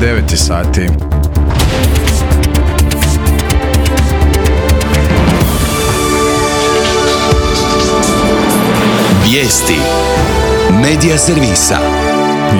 9 sati. Vijesti Medija servisa.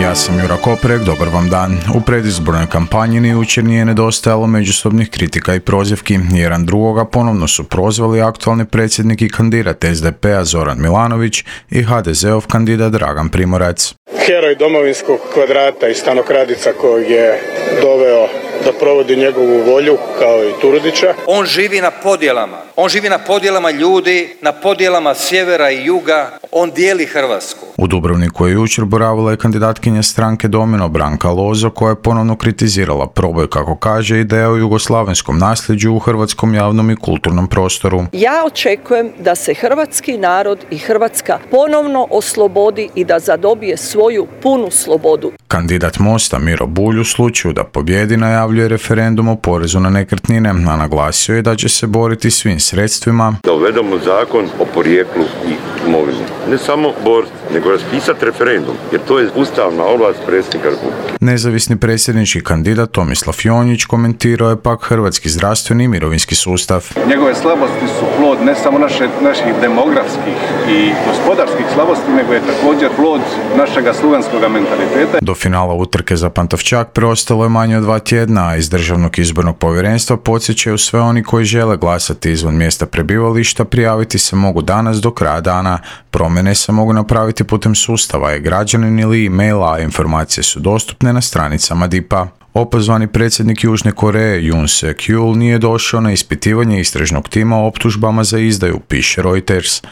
Ja sam Jura Koprek, dobar vam dan. U predizbornoj kampanji ni jučer nije nedostajalo međusobnih kritika i prozivki. Jedan drugoga ponovno su prozvali aktualni predsjednik i kandidat SDP-a Zoran Milanović i HDZ-ov kandidat Dragan Primorac. Heroj domovinskog kvadrata i stanokradica kojeg je doveo da provodi njegovu volju, kao i Turudića. On živi na podjelama. On živi na podjelama ljudi, na podjelama sjevera i juga. On dijeli Hrvatsku. U Dubrovniku je jučer boravila i kandidatkinja stranke Domino Branka Lozo, koja je ponovno kritizirala proboj, kako kaže, ideja o jugoslavenskom nasljeđu u hrvatskom javnom i kulturnom prostoru. Ja očekujem da se hrvatski narod i Hrvatska ponovno oslobodi i da zadobije svoju punu slobodu. Kandidat Mosta Miro Bulj u slučaju da pobjedi najavljuje referendum o porezu na nekretnine, a naglasio je da će se boriti svim sredstvima da uvedemo zakon o porijeklu i imovini. Ne samo boriti, nego raspisati referendum, jer to je ustavna ovlast predsjednika Republike. Nezavisni predsjednički kandidat Tomislav Jonjić komentirao je pak hrvatski zdravstveni i mirovinski sustav. Njegove slabosti su plod ne samo naših demografskih i gospodarskih slabosti, nego je također plod našega sluganskog mentaliteta. Do finala utrke za Pantovčak preostalo je manje od 2 tjedna, a iz Državnog izbornog povjerenstva podsjećaju sve oni koji žele glasati izvan mjesta prebivališta, prijaviti se mogu danas do kraja dana. Promjene se mogu napraviti putem sustava e-građanin ili e-maila, a informacije su dostupne na stranicama DIP-a. Opozvani predsjednik Južne Koreje Yoon Suk-yeol nije došao na ispitivanje istražnog tima o optužbama za izdaju, piše Reuters.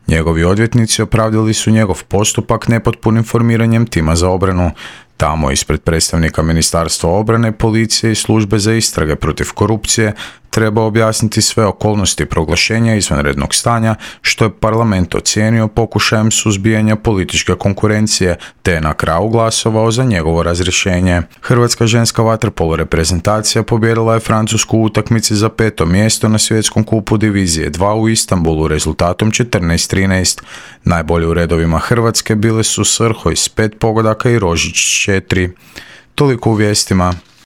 Njegovi odvjetnici opravdali su njegov postupak nepotpunim formiranjem tima za obranu. Tamo ispred predstavnika Ministarstva obrane, policije i službe za istrage protiv korupcije treba objasniti sve okolnosti proglašenja izvanrednog stanja, što je parlament ocijenio pokušajem suzbijanja političke konkurencije, te je na kraju glasovao za njegovo razrješenje. Hrvatska ženska vaterpolo reprezentacija pobijedila je Francusku u utakmici za 5. mjesto na svjetskom kupu divizije 2 u Istanbulu rezultatom 14-13. Najbolji u redovima Hrvatske bile su Srhoj s 5 pogodaka i Rožić 4. Toliko u vijestima.